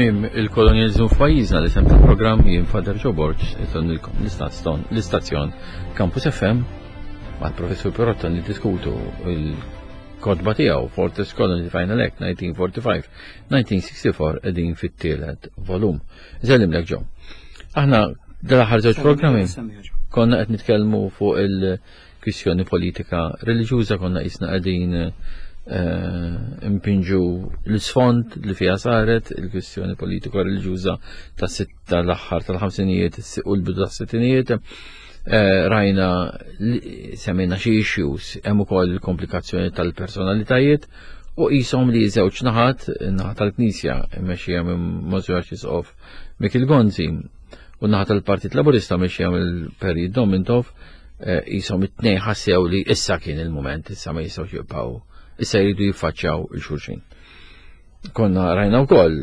Tmiem il-kolonjaliżmu f'pajjiżna li sem tal-programm jien Father Joe Borg itonnilkom l-istazzjon Campus FM mal-Professur Perotta niddiskutu il-kotba tiegħu Fortress Colony Final Act 1945-1964 qegħdin fit-tielet volum. Żellimlek Joe. Aħna dal-aħħar żewġ programmi konna qed nitkellmu fuq il-kwistjoni politika reliġjuża konna qisna qegħdin eh, impinġu l-isfond li fiha saret il-kwistjoni politika reliġjuża ta' sitta l-aħħar tal-ħamsinijiet u l-bidu tas-sittinijiet. Eh, rajna semmejna xi issues hemm ukoll il-komplikazzjoni tal-personalitajiet u qishom li żewġ naħat, naħa tal-Knisja mmexxija minn Monsignor Arċisqof Mikil Gonzi u naħa tal-Partit Laburista mmexxija mill-Peri Domintov eh, qishom it-tnejn ħassew li issa kien il-mument, issa ma jistgħux jibqgħu, issa jridu jiffaċċjaw il-xulxin. Konna rajna wkoll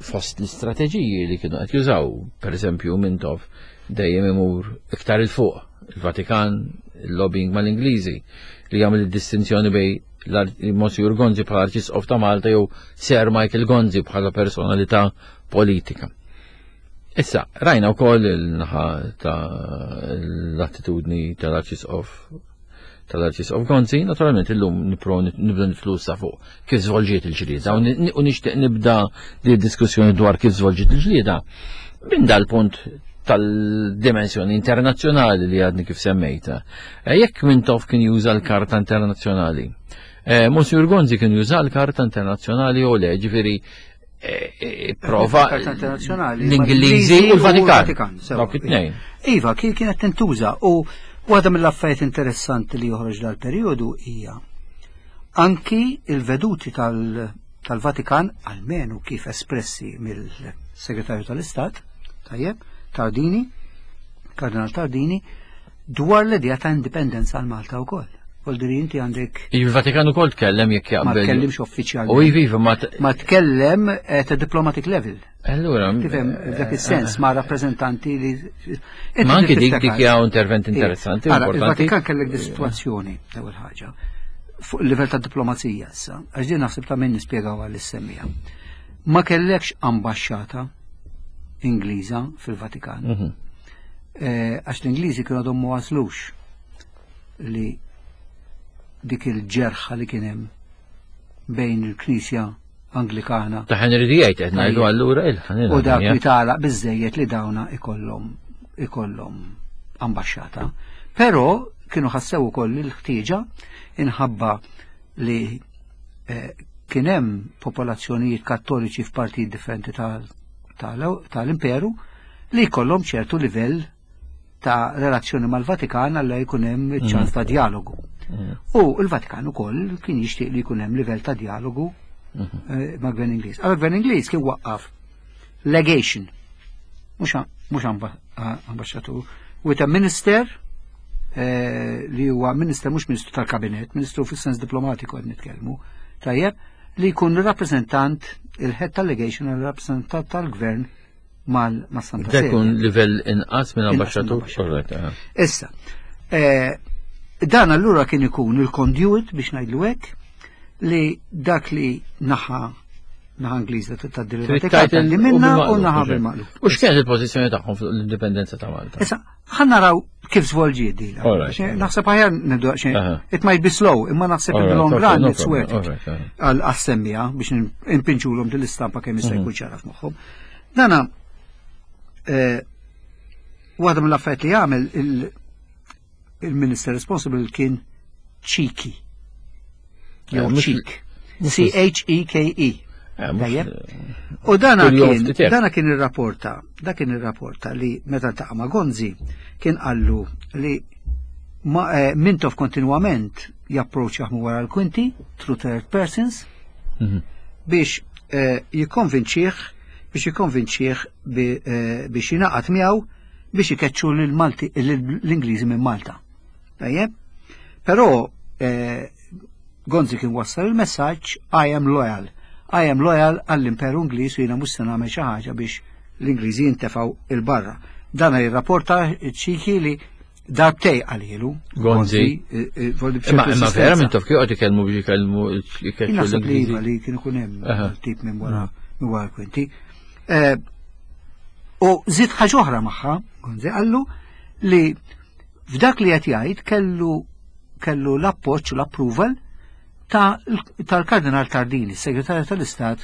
fost l-istrateġiji li kienu qed jużaw, pereżempju Mintoff dejjem imur iktar il fuq il-Vatikan, il-lobbying mal-Ingliżi, li jagħmel id-distinzjoni bej Monsignor Gonzi bħala Arċisqof ta' Malta jew Sir Michael Gonzi bħala personalità politika. Issa, rajna wkoll il-naħa ta' l-attitudni tal-Arċisqof tal-Arċisqof Gonzi, naturalment illum nipro nibda nitlu sa fuq kif żvolġiet il-ġlieda u nixtieq nibda di diskussjoni dwar kif żvolġiet il-ġlieda minn dal-punt tal-dimensjoni internazzjonali li għadni kif semmejta. Eh, jekk Mintoff kien juża l-karta internazzjonali, eh, Monsignor Gonzi kien juża l-karta internazzjonali u le, ġifieri eh, prova l-Ingliżi u l-Vatikan. Dawk it-tnejn. Iva, kien kienet tintuża u waħda mill-affarijiet interessanti li joħroġ dal-perjodu hija anki il-veduti tal-Vatikan, almenu kif espressi mill-Segretarju tal-Istat, tajjeb, Tardini, Kardinal Tardini, dwar l-idea ta' indipendenza għal Malta wkoll. Voldiri inti għandek. Il-Vatikan ukoll tkellem jekk jaqbel. Ma tkellimx uffiċjalment. U iva, iva, ma ma tkellem at a diplomatic level. Allura. Tifhem f'dak is-sens ma' rappreżentanti li. Ma anki dik dik hija intervent interessanti. Il-Vatikan kellek di situazzjoni l-ewwel ħaġa fuq il-livell ta' diplomazija issa, għax din naħseb ta' min nispjegaw għall-semmija. Ma kellekx ambaxxata Ingliża fil-Vatikan. Mhm. Eh, għax l-Ingliżi kienu għadhom ma waslux li dik il-ġerħa li kien hemm bejn il-Knisja Anglikana. Ta' Henry VIII qed ngħidu allura il U dak li tagħlaq biżejjed li dawna ikollhom ikollhom ambaxxata. Però kienu ħassew ukoll il-ħtieġa inħabba li eh, kien hemm popolazzjonijiet kattoliċi f'partijiet differenti tal-imperu li jkollhom ċertu livell ta' relazzjoni mal-Vatikan għalla jkun hemm mm. ċans ta' dialogu. Mm. U l-Vatikan ukoll kien jixtieq li jkun hemm livell ta' dialogu mm-hmm. eh, ma' gvern Ingliż. Għal gvern Ingliż kien waqqaf legation, mhux ambasċatur, with a minister eh, li huwa minister mhux ministru tal-kabinet, ministru fis-sens diplomatiku qed nitkellmu, tajjeb, li jkun rappreżentant il-head tal-legation, il-rappreżentant tal-gvern mal-Santa Sede. Dekun livell inqas minn ambasċatur. Issa, eh, dan allura kien ikun il-conduit biex ngħidlu hekk li dak li naħa naħa Ingliża tad-derivatika li minna u naħa bil-maqlub. U x'kienet il-pożizzjoni tagħhom fuq l-indipendenza ta' Malta? Issa, ħa naraw kif żvolġiet din. Naħseb aħjar nibdu xejn. It might be slow, imma naħseb in the long run it's worth it. Għal assemmija biex impinġulhom din l-istampa kemm jista' mhm. jkun ċara f'moħħhom. Dana eh, waħda mill-affarijiet li għamel il-minister responsible kien Cheeky. Jew eh, Cheek. C-H-E-K-E. Eh, U dana kien, dana kien ir-rapporta, da kien ir-rapporta li meta taqa' ma' Gonzi kien qallu li ma, eh, Mintoff kontinwament japproċċja wara l-kwinti through third persons mhm. biex eh, jikkonvinċih biex jikkonvinċih eh, biex jingħaqad miegħu biex ikeċċu l-Ingliżi minn Malta. Tajjeb? Però eh, Gonzi kien wassal il-messaġġ I am loyal. I am loyal għall-Imperu Ingliż u jiena mhux se nagħmel xi ħaġa biex l-Ingliżi jintefgħu il-barra. Dan jirrapporta ċiki li darbtej għalilu. Gonzi. Eh, eh, imma imma vera minn taf kif qed ikellmu biex ikellmu Naħseb li iva li kien ikun hemm tip minn wara mm. Minn wara l-kwinti. Eh, u żied ħaġa oħra magħha, Gonzi qallu li f'dak li qed jgħid kellu kellu l-appoġġ u l-approval tal-Kardinal Tardini, segretarju tal-Istat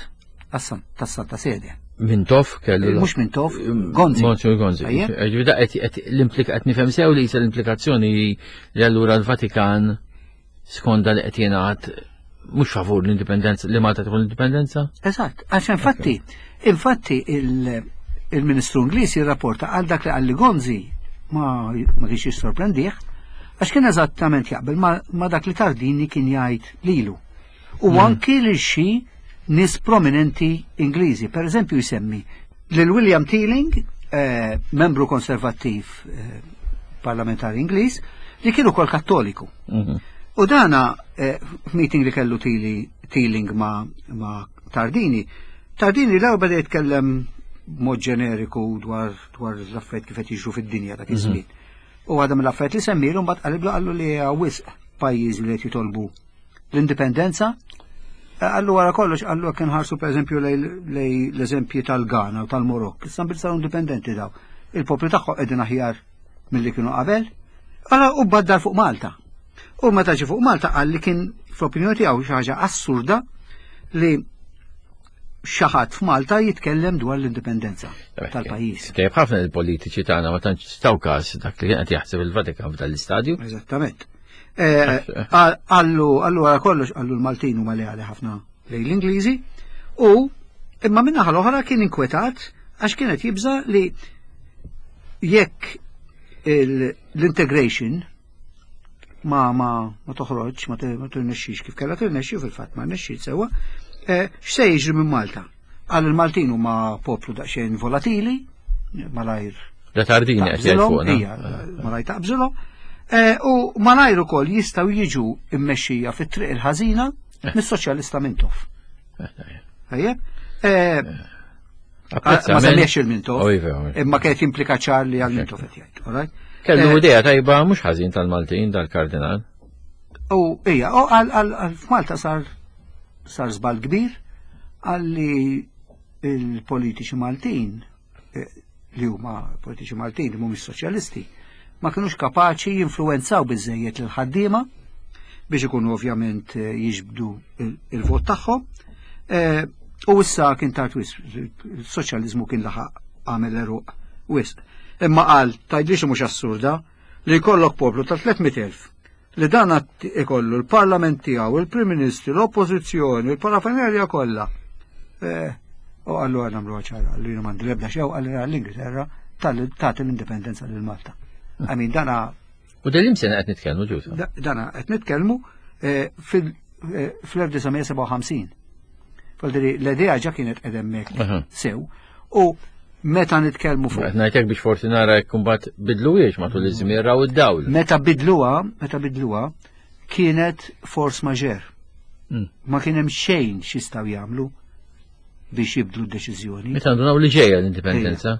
tas-Santa Sede. Mintoff kellu. Mhux Mintoff, Gonzi. Monsignor Gonzi. L-implika qed nifhem sew li l-implikazzjoni li allura l-Vatikan skonda li qed jingħad mhux favur l-indipendenza li Malta tkun l-indipendenza? Eżatt, għax infatti, infatti il-Ministru Ingliż jirrapporta għal dak li għalli Gonzi ma ma kienx jissorprendih, għax kien eżattament jaqbel ma dak li Tardini kien jgħid lilu. U mm. anki li xi nies prominenti Ingliżi. Per eżempju jsemmi lil William Teeling, eh, membru konservattiv eh, parlamentari Ingliż, li kien ukoll Kattoliku. Mhm. U dana eh, f'meeting li kellu Teeling ma, ma Tardini, Tardini l-ewwel beda jitkellem mod ġeneriku dwar dwar l-affarijiet kif qed jiġru fid-dinja dak iż-żmien. Mhm. U għadha mill-affarijiet li semmilu mbagħad qaliblu qallu li wisq pajjiżi li qed jitolbu l-indipendenza. Għallu wara kollox, għallu kien ħarsu per eżempju lej l-eżempji tal-Ghana u tal-Morokk, issa bil saru indipendenti daw. Il-popli tagħhom qegħdin aħjar milli kienu qabel. Allora u baddar fuq Malta. U meta ġi fuq Malta qal li kien fl-opinjoni tiegħu xi ħaġa assurda li xi ħadd f'Malta jitkellem dwar l-indipendenza tal-pajjiż. Tajjeb ħafna il-politiċi tagħna ma tantx taw każ dak li kien qed jaħseb il-Vatikan f'dan l-istadju. Eżattament. Eh, għallu, għallu għara kollox, għallu l-Maltin huma leali ħafna lejn l-Ingliżi u imma minna l-oħra kien inkwetat għax kienet jibża li jekk l-integration ma ma ma toħroġ, ma tirnexxix kif kellha tirnexxi fil-fatt ma rnexxi sewwa, eh, x'se jiġri minn Malta? Qal il-Maltin huma poplu daqsxejn volatili, malajr. Da tardini qed jgħid fuqna. Ija, malajr taqbżilhom. Eh, u malajr ukoll jistgħu jiġu mmexxija fit-triq il-ħażina eh. mis-soċjalista Mintoff. Eh, ma semmiex il-Mintoff, oh, iva, iva. imma kienet jimplika ċar li għal Mintoff qed jgħid. Kellu idea tajba mhux ħażin tal-Maltin dal-Kardinal. U ija, u għal f'Malta sar Sar żball kbir għalli il-politiċi Maltin eh, li huma politiċi Maltin li mhumiex soċjalisti ma kinux kapaċi jinfluwenzaw biżejjed lil ħaddiema biex ikunu ovvjament eh, jiġbdu il-vot tagħhom. Eh, u issa kien tard wisq, il-soċjaliżmu kien laħaq għamel eruq wisq. Imma qal tgħidlix mhux assurda li jkollok poplu ta' 300,000 li dan ikollu l-Parlament tiegħu, il-Prim Ministru, l-Oppożizzjoni, il-parafernerja kollha. Eh, u għallu għal nagħmlu ċara, li jien m'għandi l-ebda xew għal l-Ingilterra tagħti l-indipendenza lil Malta. Għamin dana. U dal sena qed nitkellmu ġusa. Dana qed nitkellmu eh, fil-1957. Eh, Faldiri, l-idea ġa kienet edemmek sew. U meta nitkellmu fuq. Qed ngħidlek biex forsi nara jekk imbagħad bidluhiex matul iż-żmien raw id-dawl. Meta bidluha, meta bidluha, kienet force majeure. Hmm. Ma kien hemm xejn x'jistgħu jagħmlu biex jibdlu d-deċiżjoni. Meta ndunaw li ġejja l-indipendenza.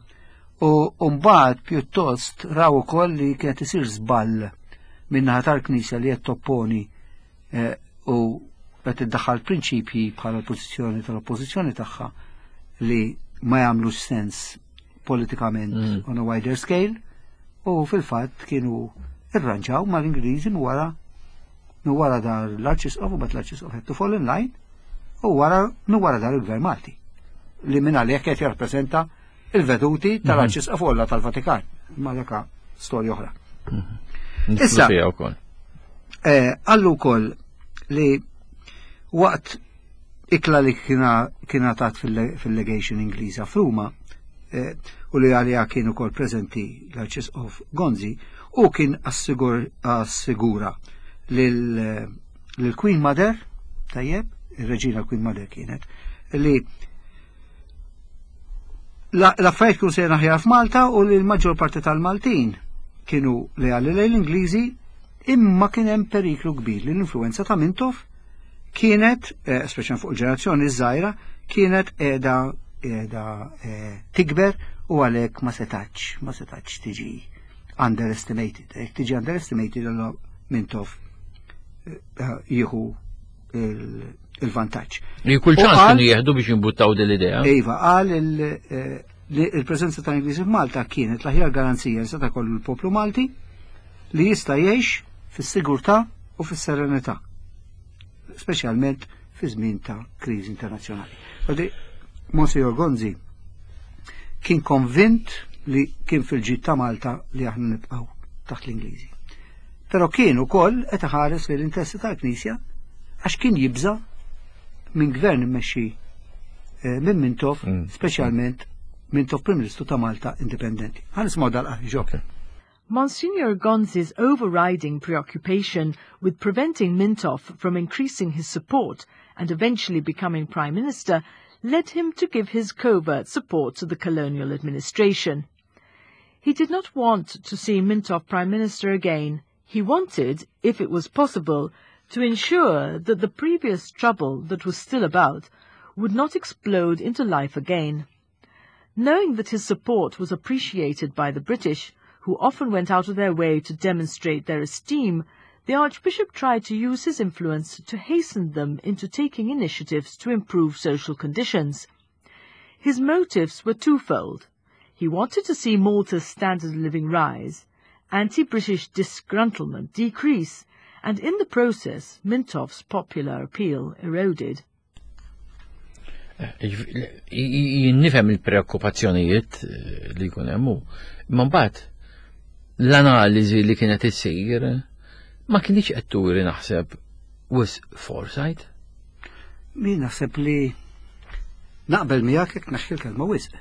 U mbagħad pjuttost raw ukoll li kienet isir żball min-naħa tal-Knisja li qed topponi eh, u qed iddaħħal prinċipji bħala l-pożizzjoni tal-oppożizzjoni tagħha li ma jagħmlux sens politikament mm. on a wider scale u fil-fatt kienu irranġaw mal-Ingliżi wara minn wara dar l-Arċisqof u bat l-Arċisqof had to fall in line u wara minn wara dar il-Gvern Malti li minn għalih qed jirrappreżenta il-veduti mhm. tal-Arċisqof Olla tal-Vatikan. Ma daka storja oħra. Mhm. Issa, eh, għallu wkoll li waqt ikla li kiena tat fil-legation Ingliża f'Ruma eh, u li għalija kien ukoll preżenti l-Arċisqof Gonzi u kien assigura lil-Queen Mother, tajjeb, ir-reġina Queen Mother kienet, li L-affarijiet kienu sejrin aħjar f'Malta u li l-maġġor parti tal-Maltin kienu leali lejn l-Ingliżi imma kien hemm periklu kbir li l-influenza ta' Mintoff kienet, eh, speċjalment fuq il-ġenerazzjoni żgħira, kienet qiegħda qiegħda eh, tikber u għalhekk ma setax ma setax tiġi underestimated. Jekk tiġi underestimated allura Mintoff eh, jieħu il- il-vantaġġ. Li kull ċans kienu jieħdu biex jimbuttaw din l-idea. Iva, qal eh, li il-preżenza tal-Ingliżi f'Malta kienet l-aħjar garanzija li seta' kollu l-poplu Malti li jista' jgħix fis-sigurtà u fis-serenità, speċjalment fi żmien ta' kriżi internazzjonali. Għadi, Monsignor Gonzi kien konvint li kien fil-ġid ta' Malta li aħna nibqgħu taħt l-Ingliżi. Però kien ukoll qed iħares lejn l-interessi tal-Knisja għax kien jibża' minn gvern immexxi eh, minn Mintoff, mm. speċjalment Mintoff Prim Ministru ta' Malta Indipendenti. Ħa nisimgħu dal-qari ġo. Monsignor Gonzi's overriding preoccupation with preventing Mintoff from increasing his support and eventually becoming Prime Minister led him to give his covert support to the colonial administration. He did not want to see Mintoff Prime Minister again. He wanted, if it was possible, to ensure that the previous trouble that was still about would not explode into life again. Knowing that his support was appreciated by the British, who often went out of their way to demonstrate their esteem, the Archbishop tried to use his influence to hasten them into taking initiatives to improve social conditions. His motives were twofold. He wanted to see Malta's standard of living rise, anti-British disgruntlement decrease, and in the process Mintoff's popular appeal eroded. Jien nifhem il-preokkupazzjonijiet eh, li jkun hemm hu. Imma mbagħad l-analiżi li kienet issir ma kienx qed turi naħseb wis foresight. Min naħseb li naqbel miegħek jekk naħxi l-kelma wisq.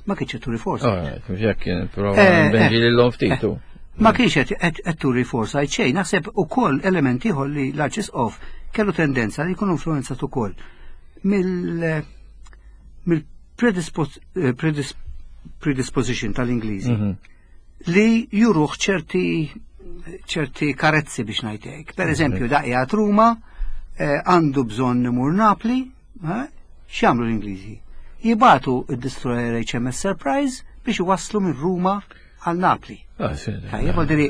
Ma kienx qed turi foresight. Ah, jekk kien prova eh, benġi eh, lilhom ftitu. Ma kienx qed turi foresight xejn, naħseb ukoll elementi ieħor li l-Arċisqof kellu tendenza li jkun influenzat ukoll mill mill eh, predisposition tal-Ingliżi mhm. li juruħ ċerti ċerti karezzi biex ngħidlek. Per eżempju, mhm. daqja Ruma eh, għandu bżonn imur Napli, eh, x'jagħmlu l-Ingliżi? Jibatu id-destroyer HMS Surprise biex iwasslu minn Ruma għal Napli. Ah, Tajjeb, diri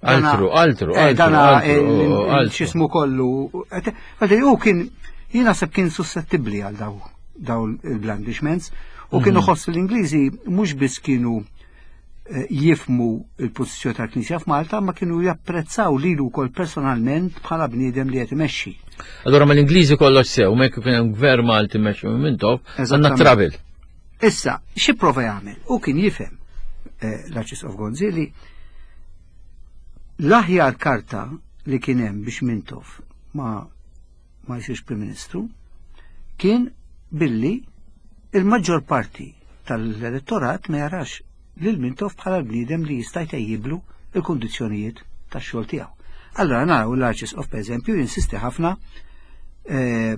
Altru, altru, eh, altru. Dana xismu kollu. Għadri, u kien, jina seb kien suscettibli għal daw daw il-blandishments u kienu mhm. ħoss l-Ingliżi mhux biss kienu eh, jifmu il-pożizzjoni tal-Knisja f'Malta, ma kienu japprezzaw lilu wkoll personalment bħala bniedem li qed imexxi. Allora ma l-Ingliżi kollox sew, ma jekk kien hemm gvern Malti mexxi minn Mintoff, għandna travel. Issa, xi prova jagħmel? U kien jifhem eh, l-Arċisqof Gonzi li l-aħjar karta li kien hemm biex Mintoff ma ma jsirx Prim Ministru kien billi il-maġġor parti tal-elettorat ma jarax lil Mintoff bħala l-bniedem li jista' jtejjiblu il-kundizzjonijiet tax-xogħol tiegħu. Allora naraw l-Arċisqof pereżempju jinsisti ħafna eh,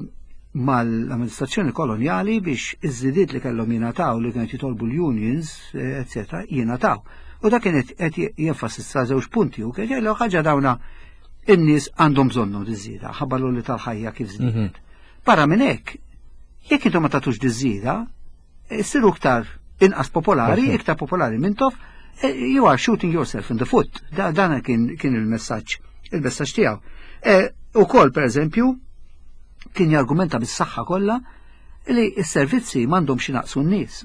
mal-amministrazzjoni kolonjali biex iż-żidiet li kellhom jingħataw li kienet jitolbu l-unions, eh, eccetera, jingħataw. U dak kien qed jenfasizza żewġ punti u kien jgħidlu ħaġa dawna in-nies għandhom bżonnu diż-żieda, ħabba li tal-ħajja kif żdiedet. Mhm. Barra minn hekk, jekk intom ma tagħtux diż-żieda, Issiru iktar inqas popolari, mhm. iktar popolari Mintoff, eh, you are shooting yourself in the foot. Dan kien, kien il-messaġġ, il-messaġġ tiegħu. Eh, u kol, per eżempju, kien jargumenta bis-saħħa kollha li s-servizzi m'għandhomx naqsu n-nies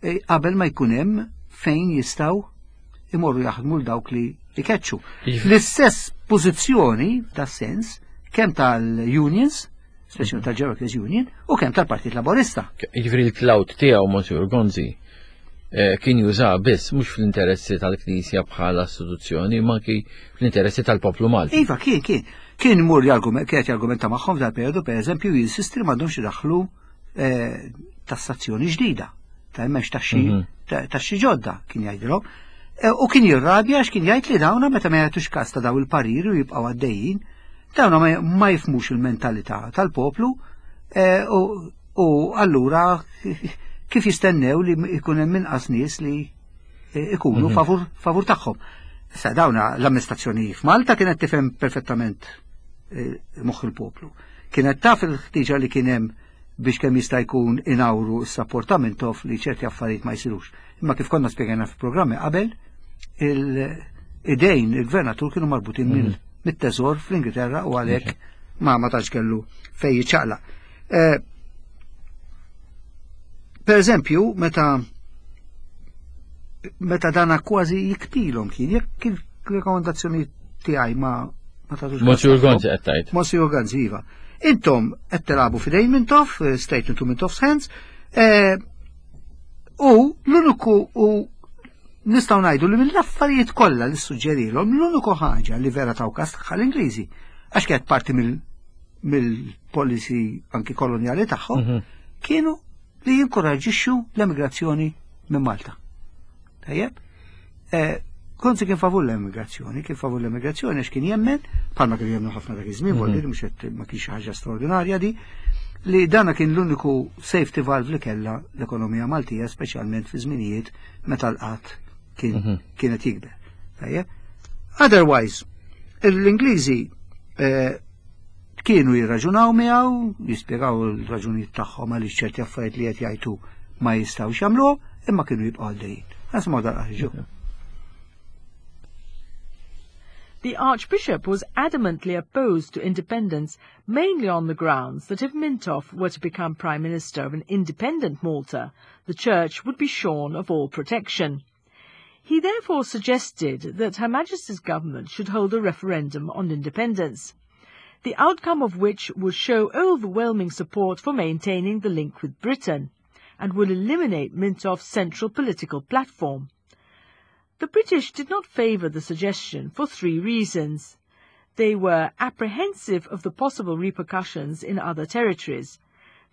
eh, qabel ma jkun hemm fejn jistgħu imorru jaħdmu l dawk li ikeċċu. L-istess pożizzjoni ta' sens kemm tal-unions speċjalment tal-Workers Union, u kemm tal-Partit Laborista. Jiġifieri l-cloud tiegħu Monsignor Gonzi eh, kien juża biss mhux fl-interessi tal-Knisja bħala istituzzjoni, ma anki fl-interessi tal-poplu Malti. Iva, kien, kien. Kien mur kienet jargumenta magħhom f'dal periodu, per eżempju, jinsisti li m'għandhomx idaħħlu eh, tassazzjoni ġdida, ta' hemmx taxxi mhm. taxxi ġodda, kien jgħidilhom. Eh, u kien jirrabja għax kien jgħid li dawna meta ma jagħtux kas ta' daw il-pariri u jibqgħu għaddejjin, Dawna ma jifmux il-mentalità tal-poplu eh, u allura kif jistennew li jkun hemm inqas nies li eh, ikunu mhm. favur, favur tagħhom. Issa dawna l-amministrazzjoni f'Malta kienet tifhem perfettament eh, moħħ il-poplu. Kienet taf il-ħtiġa li kien hemm biex kemm jista' jkun inawru s-sapport ta' Mintoff li ċerti affarijiet ma jsirux. Imma kif konna spjegajna fil-programmi qabel, il-idejn il-gvernatur kienu marbutin mhm. mit-teżor fl-Ingilterra u għalhekk mhm. ma ma tantx kellu fejn jiċċaqlaq. Eh, per eżempju, meta meta dana kważi jiktilhom kien, jekk il-rekomendazzjoni tiegħi ma ma tagħtux. Monsignor Gonzi qed tgħid. Monsignor Gonzi, iva. Intom qed tilagħbu f'idejn Mintoff, eh, straight into Mintoff's hands, eh, u l-uniku u nistgħu ngħidu li mill-affarijiet kollha li suġġerilhom l-uniku ħaġa li vera taw kas tagħha l-Ingliżi għax kienet parti mill-policy anki kolonjali tagħhom mhm. kienu li jinkoraġixxu l-emigrazzjoni minn Malta. Tajjeb? Eh, Gonzi kien favur l-emigrazzjoni, kien favur l-emigrazzjoni għax kien jemmen, bħalma kien jemmen ħafna dak iż-żmien, mm mhux qed ma kienx ħaġa straordinarja di, li dana kien l-uniku safety valve li kellha l-ekonomija Maltija, speċjalment fi żminijiet meta l-qatt kien mhm. kienet jikber. Tajjeb? Otherwise, l-Ingliżi eh, Kienu jirraġunaw miegħu, jispjegaw il-raġunijiet tagħhom għaliex ċerti affarijiet li qed jgħidu ma jistgħux jagħmluhom, imma kienu jibqgħu għaddejjin. Nisimgħu dal-qari The Archbishop was adamantly opposed to independence, mainly on the grounds that if Mintoff were to become Prime Minister of an independent Malta, the Church would be shorn of all protection. He therefore suggested that Her Majesty's government should hold a referendum on independence, the outcome of which would show overwhelming support for maintaining the link with Britain and would eliminate Mintoff's central political platform. The British did not favour the suggestion for three reasons. They were apprehensive of the possible repercussions in other territories.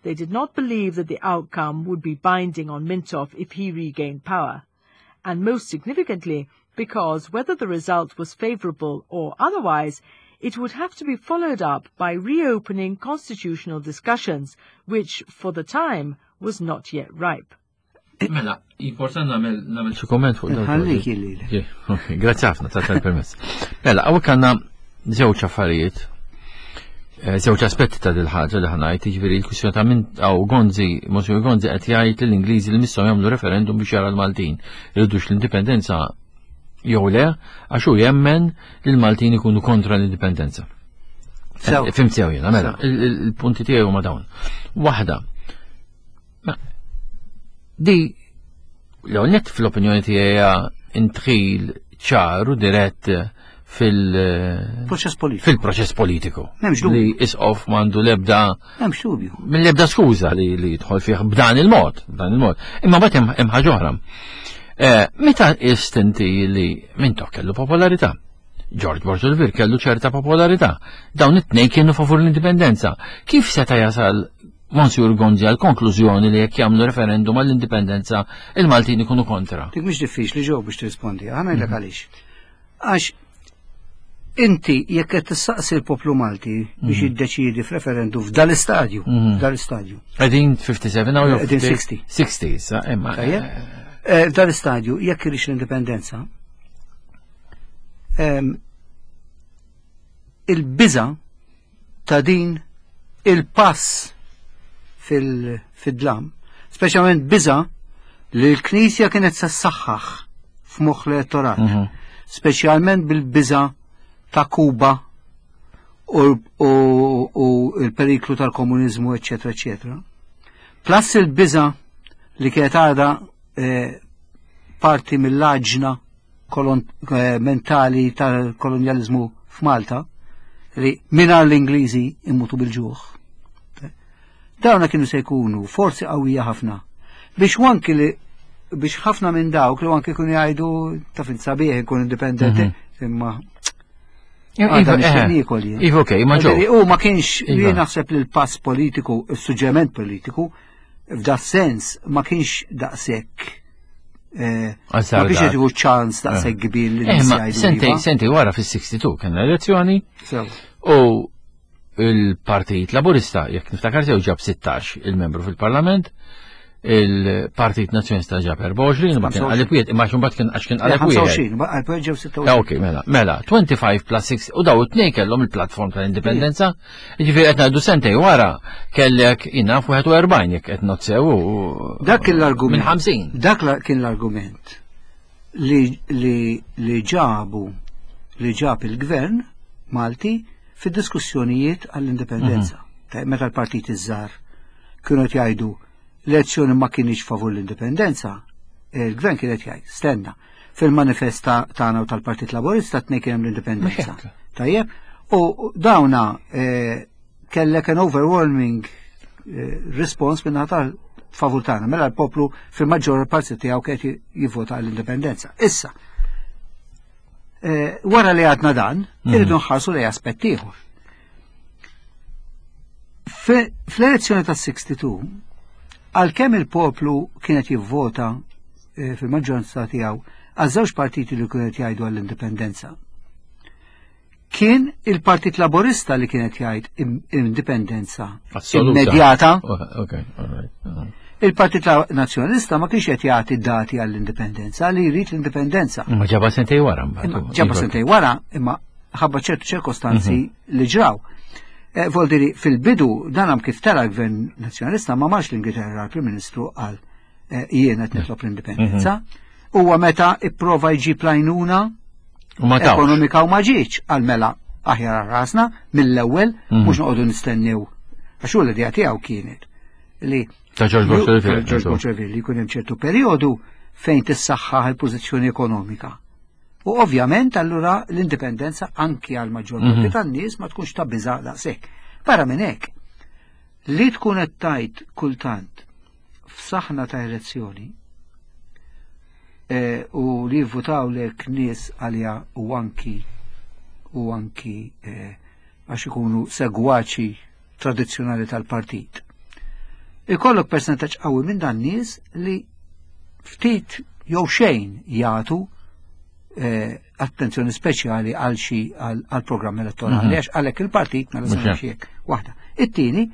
They did not believe that the outcome would be binding on Mintoff if he regained power. And most significantly, because whether the result was favourable or otherwise, it would have to be followed up by reopening constitutional discussions, which, for the time, was not yet ripe. Mela, important namel namel xi komment fuq dan. Ħallik illi. Grazzi ħafna ta' tal-permess. Mela, hawnhekk għandna żewġ affarijiet eh, żewġ aspetti ta' dil ħaġa li ħanajt, jiġifieri l-kwistjoni ta' minn għaw Gonzi, Monsignor Gonzi qed jgħid lill-Ingliżi li misshom jagħmlu referendum biex jara l-Maltin irridux l-indipendenza jew le, għax hu jemmen li l-Maltin ikunu kontra l-indipendenza. Eh, fimt sew jiena, mela, il-punti tiegħi huma dawn. Waħda, Di l net fl-opinjoni tiegħi intħil ċar u dirett fil-proċess politiku. Fil-proċess politiku. Li isqof mandu lebda. M'hemmx dubju. Minn lebda skuża li li jidħol fih b'dan il-mod, b'dan il-mod. Imma mbagħad hemm ħaġa oħra. Eh, meta istinti li minn kellu popolarità? George Borġolvir kellu ċerta popolarità. Dawn it-tnejn kienu favur l-indipendenza. Kif seta' jasal Monsignor Gonzi għall-konklużjoni li jekk jagħmlu referendum għall-indipendenza il-Maltin ikunu kontra? Dik mhix diffiċli ġew biex tirrispondi, ħa ngħidlek mhm. għaliex. Għax inti jekk qed tistaqsi l-poplu Malti biex mhm. jiddeċiedi f'referendum f'dal-istadju, mhm. f'dal-istadju. Qegħdin 57 jew qegħdin 60. 60 issa, imma. Eh, eh, f'dal-istadju jekk irix l-indipendenza, il-biża ta' din il-pass fil-dlam, speċjalment biża li l-Knisja kienet se ssaħħaħ f'moħħ l-elettorat, mhm. speċjalment bil-biża ta' Kuba u l-periklu tal-komuniżmu, eċetera, eċetera. Plus il-biża li kienet għadha eh, parti mill-aġna Eh, mentali tal-kolonjalizmu f'Malta li mingħajr l-Ingliżi immutu bil-ġuħ. Dawna kienu se jkunu forzi qawwija ħafna biex wanki li biex ħafna minn dawk li anki kunu jgħidu ta' fin sabiħ ikun indipendenti mhm. imma Iva, eh, iva, ok, ma ġo. U ma kienx li iva. naħseb li l-pass politiku, il-suġġeriment politiku, f'da sens ma kienx daqshekk Eh, ma biex jtiħu ċans ta' eh. kbir li eh, Sentej, sentej wara fis-62 kien elezzjoni. U il-Partit Laburista, jekk niftakar sew ġab 16 il-membru fil-Parlament, il-Partit Nazzjonista ġab 24, ma kien għalib wieħed, imma xumbat kien għax kien għalib wieħed. 25, ġew 26. Ok, mela, mela, 25 plus 6, u daw it-tnejn kellhom il-platform tal-indipendenza, Ġifieri qed ngħidu sentej wara kellek jina f'41 jekk qed nozzew u Dak kien l-argument. Minn 50. Dak kien l-argument li, li, li ġabu li ġab il-gvern Malti fid-diskussjonijiet għall-indipendenza. Mhm. Meta l-partit iż-żgħar kienu qed jgħidu l-elezzjoni ma kienx favur l-indipendenza, il-gvern kien qed jgħid, stenna, fil-manifest tagħna u tal-Partit Laburista tnej kien hemm l-indipendenza. Tajjeb, u dawna eh, kellek an overwhelming eh, response minn tal favur tagħna, mela l-poplu fil-maġġor parti tiegħu kien jivvota għall-indipendenza. Issa, eh, wara li għadna dan, mhm. irridu nħarsu li aspett ieħor. Fl-elezzjoni tas-62, għalkemm il-poplu kienet jivvota eh, fil-maġġoranza tiegħu għal żewġ partiti li kienet jgħidu għall-indipendenza. Kien il-Partit Laborista li kienet jgħid indipendenza immedjata. Uh-huh. Il-Partit Nazzjonalista ma kienx qed jagħti dati għall-indipendenza li jrid l-indipendenza. Ma ġaba sentej wara mbagħad. Ġaba sentej wara imma ħabba ċertu ċirkostanzi mhm. li ġraw. Eh, Voldiri, fil-bidu dan kif tara l-Gvern Nazzjonalista ma marx l-Ingilterra l-Prim Ministru għal eh, jien qed nitlob l-indipendenza. Mhm. Huwa meta ipprova jġib lajnuna ekonomika u ma ġietx għal mela aħjar rasna mill-ewwel mhm. mhux noqogħdu nistennew. Għax hu l-idea tiegħu kienet li ta' George Bush li jkun hemm ċertu perjodu fejn tissaħħaħ il-pożizzjoni ekonomika. U ovvjament allura l-indipendenza anki għal maġġor parti mhm. tan-nies ma tkunx ta' biża' daqshekk. Barra minn hekk, li tkun qed tajt kultant f'saħna ta' elezzjoni eh, u li jivvutaw lek nies għalija u anki u anki eh, għax ikunu segwaċi tradizzjonali tal-partit. Ikollok percentaġġ qawwi minn dan nies li ftit jew xejn jagħtu eh, attenzjoni speċjali għal xi għal programm elettorali mhm. għax għalhekk il-partit mela se hekk waħda. It-tieni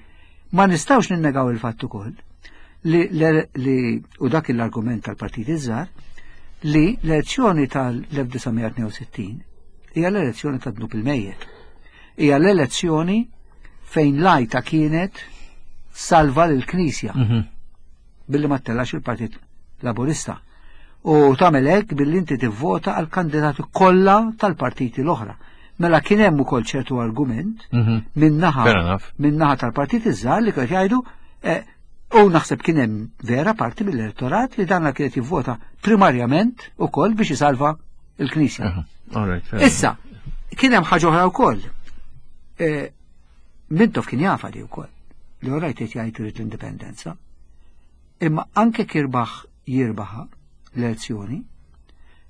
ma nistgħux ninnegaw il-fatt ukoll li, li u dak l-argument tal-partit iż-żgħar li l-elezzjoni tal-1962 hija l-elezzjoni ta' dnub il-mejjet. Hija l-elezzjoni fejn lajta kienet salva l-Knisja mhm. billi ma tellax il-Partit Laburista. U tagħmel hekk billi inti tivvota għal kandidati kollha tal-partiti l-oħra. Mela kien hemm ukoll ċertu argument mhm. min-naħa min-naħa tal-partit iż-żgħar li kien jgħidu eh, u naħseb kien hemm vera parti mill-elettorat li dan kienet jivvota primarjament ukoll biex isalva il-Knisja. Issa, kien hemm ħaġa oħra wkoll. Eh, Mintoff kien jafa li wkoll li orajt qed jgħid irid l-indipendenza. Imma anke kirbaħ jirbaħa l-elezzjoni,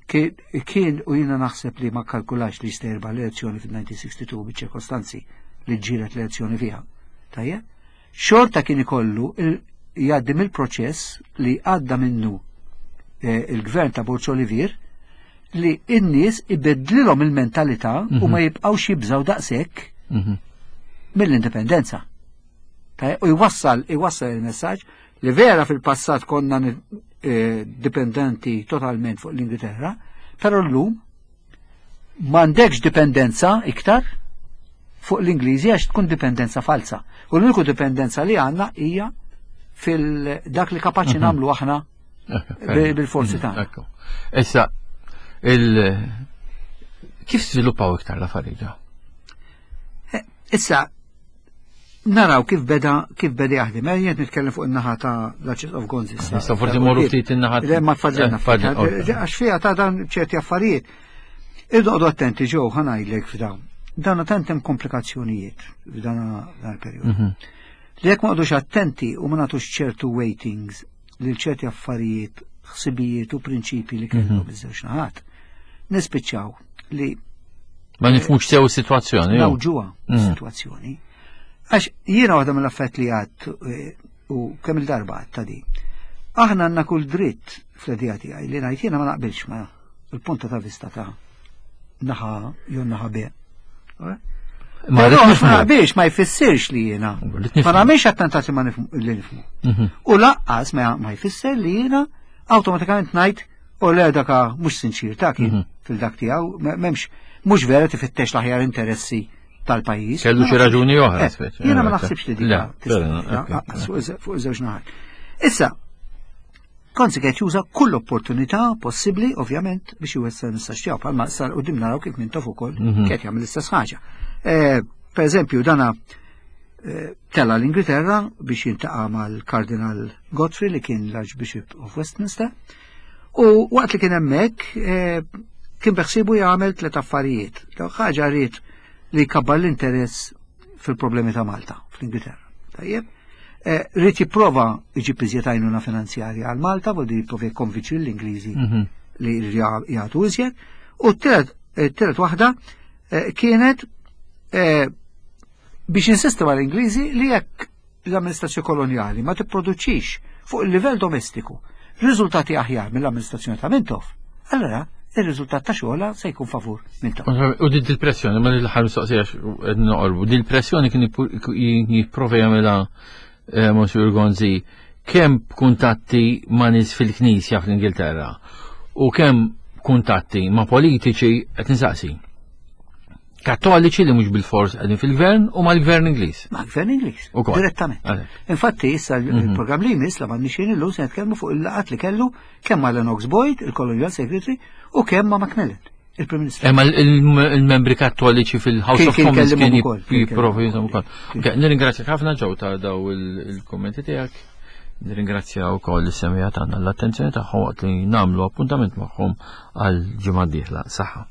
kien u jiena naħseb li ma kalkulax li jista' jirbaħ l-elezzjoni fil-1962 biċ-ċirkostanzi li ġġielet l-elezzjoni fiha. Tajjeb? Xorta kien ikollu jgħaddi mill-proċess li għadda minnu eh, il-gvern ta' Borġ Olivier li n-nies ibeddlilhom il-mentalità u mhm. ma jibqgħux jibżgħu daqshekk mhm. mill-indipendenza. U jwassal jwassal il-messaġġ li vera fil-passat konna eh, dipendenti totalment fuq l-Ingilterra, però llum m'għandekx dipendenza iktar fuq l-Ingliżi għax tkun dipendenza falsa. U l-uniku dipendenza li għandna hija fil-dak li kapaċi mhm. nagħmlu aħna bil-forzi mhm, tagħna. Issa, il kif żviluppaw iktar l-affarijiet? Eh, issa, naraw kif beda kif beda jaħdem. Eh, jien nitkellem fuq in-naħa ta' l of Gonzi. Issa forsi morru ftit in-naħa. Le ma tfadlilna. Eh, għax fiha ta' dan ċerti affarijiet. Irdoqdu attenti ġew ħanajdlek f'dawn. Dan tant hemm komplikazzjonijiet f'dan il-perjodu. Mhm. Li jekk ma qogħdux attenti u ma nagħtux ċertu waitings lil ċerti affarijiet, ħsibijiet u prinċipji li kellhom mhm. iż-żewġ naħat. Nispiċċaw li Ma nifhmux sew is-sitwazzjoni. Nawġuha mhm. is-sitwazzjoni. Għax jiena waħda mill-affett li għad eh, u kemm il-darba għad ta' di. Aħna għandna kull dritt fl-idea tiegħi li ngħid jiena ma naqbilx ma il-punta ta' vista ta' naħa jew naħa B. Ma naqbilx ma jfissirx li jiena. Ma nagħmilx attentati ma li nifhmu. Mhm. U laqqas ma jfisser li jiena awtomatikament ngħid u le daka mhux sinċir ta' kien mhm. fil-dak tiegħu m'hemmx mhux vera tifittex l-aħjar interessi tal-pajjiż. Kellu xi raġuni oħra. Eh, jiena ma naħsibx li dik fuq iż-żewġ naħat. Issa, Konzi qed juża kull opportunità possibbli, ovvjament, biex iwessa l-messaġġ tiegħu bħalma sar qudiem naraw kif Mintoff ukoll mhm. qed jagħmel l-istess ħaġa. Eh, Per eżempju, dana eh, tela l-Ingilterra biex jiltaqa' mal-Kardinal Godfrey li kien l-Archbishop of Westminster u waqt li kien hemmhekk eh, kien beħsibu jagħmel tliet affarijiet. Ħaġa ried li jkabbar l-interess fil-problemi ta' Malta fl-Ingilterra. Tajjeb? Eh, ried jipprova jġib iżjed għajnuna finanzjarja għal Malta, vuol jipprova jikkonvinċi l-Ingliżi mhm. li jagħtu iżjed. U t-tielet waħda eh, kienet eh, biex insisti mal-Ingliżi li jekk l-amministrazzjoni kolonjali ma tipproduċix fuq il-livell domestiku riżultati aħjar mill-amministrazzjoni ta' Mintoff, allora ir-riżultat ta' xogħla se jkun favur Mintoff. U din il-pressjoni, ma l-ħar mistoqsija qed noqorbu, din il-pressjoni kien jipprova jagħmilha eh, Monsieur Gonzi kemm kuntatti ma' nies fil-Knisja fl-Ingilterra u kemm kuntatti ma' politiċi qed nisaqsi. Kattoliċi li mhux bil-fors qegħdin fil-gvern u mal-gvern Ingliż. Mal-gvern Ingliż. Direttament. Infatti issa mhm. il-programm li jmiss la m'għandniex illum se nitkellmu fuq il-laqat li kellu kemm ma' Lennox Boyd, il-Colonial Secretary, u kemm ma' Macmillan il-Prim Ministru. Imma il-membri kattoliċi fil-House of Commons kien jipprovu jinżom ukoll. Nirringrazzjak ħafna ġew ta' daw il-kummenti tiegħek. Nirringrazzja wkoll is-semija tagħna l-attenzjoni tagħhom waqt li nagħmlu appuntament magħhom għal ġimgħa d-dieħla. Saħħa.